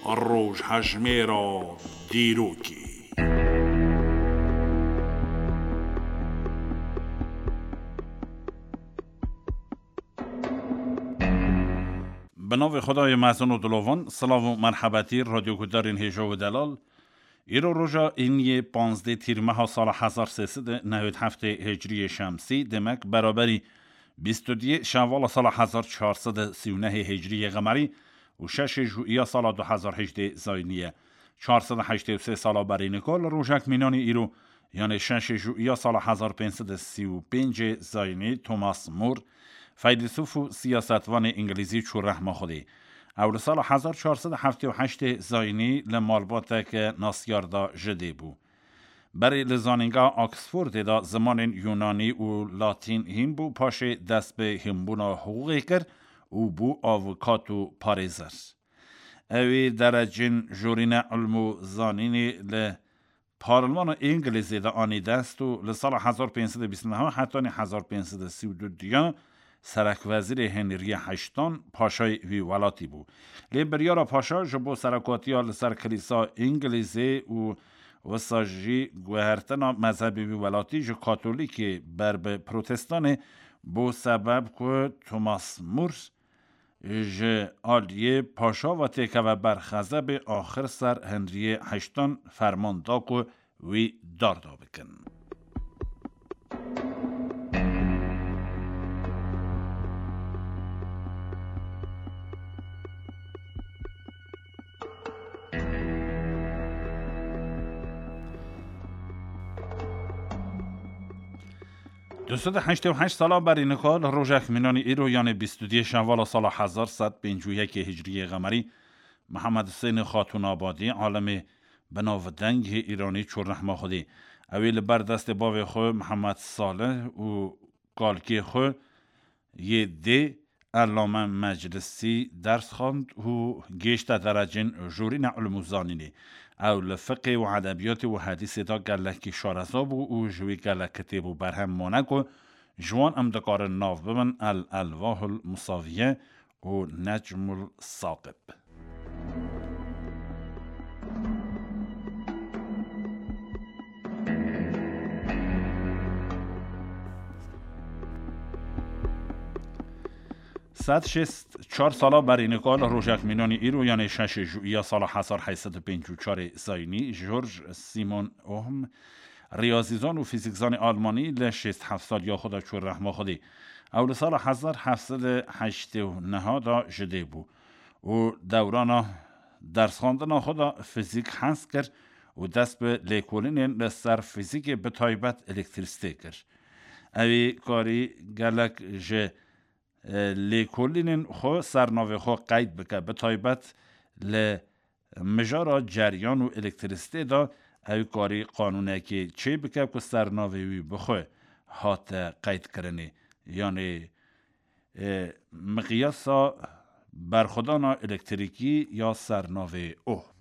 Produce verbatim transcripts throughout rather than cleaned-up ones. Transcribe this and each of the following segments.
Rojhejmêra dîrokê. Bi navê Xwedayê mezin û dilovan, silav û merhebetî radyoguhdarên hêja û delal. Îro roja îniyê panzdeh tîrmeha sala hezar sê sed û newêd heftê hicriyê şemsî, demek beraberî bîst û duyê şevala sala hezar çar sed û sî û nehê hicriyê qemerî û şeşê jûiya sala du hezar hejdê zayînî ye. Çar sed û heştê û sê sala berî nika li rojek mînanî îro, yanê şeşê jûiya sala hezar pênc sed û sî û pêncê zayînî, Thomas More, feylesûf û siyasetvanê îngilîzî çû rehma Xwedê. Ew li sala hezar çar sed û heftê û heştê zayînî li malbateke nasyar de ji dê bû. Berê li zanîngeha Oxfordê de zimanên Yunanî û Latîn hîn bû, paşê dest bi hînbûna hiqûqê kir û bû avukat û parêzer. Ew ê derecên jorîne ilm û zanînê li Parlmana Îngilîzê de anî dest û li sala hezar pênc sed û bîst û neh hetanî hezar pênc sed û sî û du diya serekwezîrê Henriyê heştan, paşayê wî welatî bû. Lê biryara paşa ji bo serekatiya li ser Kilîsa Îngilîzê û wisa jî guhertina mezhebê wî welatî ji Katolîkê ber bi Protestanê bû sebeb ku Thomas More ji aliyê paşa ve têkeve ber xezebê, axir ser Henriyê heştan ferman da ku wî darda bikin. Du sed û heştê û heşt sala berî nika li rojek mînanî îro, yanê bîst û duyê şevala sala hezar sed pêncî û yekê hicriyê qemerî, Mihemed Husênê Xatûnabadî, alimê binavdeng yê Îranî çû rehma Xwedê. Ew ê li ber destê bavê xwe Mihemed Salih û kalkê xwe yê dê Ellame Meclisî ders xwend û gêşte derecên jorîne ilm û zanînê. Ew li fiqê û edebiyatê û hedîsê de gelekî şareza bû û ji wî gelek kitêb û berhem mane ku ji wan em dikarin nav bibin El Elvahul Musaviye û Necmul Saqib. Sed şêst çar sala berî nika li rojek mînanî îro, yanê şeşê jûiya sala hezar heyt sed û pêncî û çarê zayînî, George Simon Ohm, riyazîzan û fîzîkzanê almanî, li şêst heft saliya xwe de çû rehma Xwedê. Ew li sala hezar heft sed û heştê û neh de ji dê bû û dewrana dersxwendina xwe de fîzîk hez kir û dest bi lêkolînên li ser fîzîkê, bi taybet elektrîsitê, kir. Ew ê karî gelek ji, e, lêkolînên xwe ser navê xwe qeyd bike, bi taybet li mijara ceryan û elektrîsitê de ew karî qanûnekê çêbike ku ser navê wî bi xwe hate qeydkirinê, yanê, e, miqyasa berxwedana elektrîkî ya ser navê Ohm.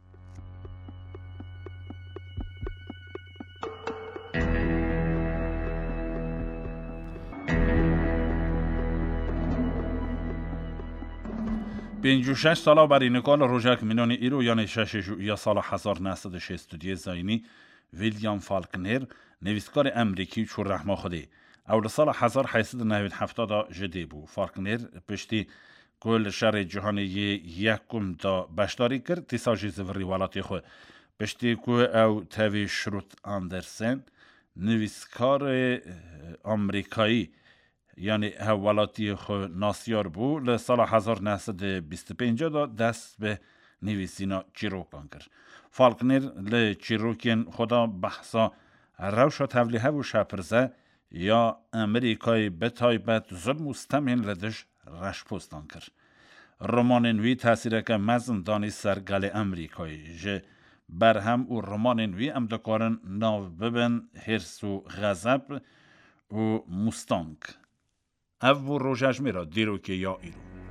Pêncî û şeş sala berî nika li rojek mînanî îro, yanê şeşê jûiya sala hezar neh sed û şêst û duyê zayînî, William Faulkner, nivîskarê Emerîkî, çû rehma Xwedê. Ew li sala hezar heyt sed û newêd heft de ji dê bû. Faulkner piştî ku li şerê cîhanê yê yekum de beşdarî kir, dîsa jî zivirî welatê xwe. Piştî ku ew tevî Şrut Andersen, nivîskarê, eh, Amerîkayî, yanî hevwelatiyê xwe nasyar bû, li sala hezar neh sed û bîst û pênc de dest bi nivîsîna çîrokan kir. Faulkner li çîrokên xwe de behsa rewşa tevlîhev û şepirze ya Amerîkayê, bi taybet zulm û stemên li dij reşpostan, kir. Romanên wî tesîreke mezin danî ser gelê Amerîkayê. Ji berhem û romanên wî em dikarin nav bibin Hêrs û Xezeb û Mustang. Ev bû rojejmêra dîrokê ya îro.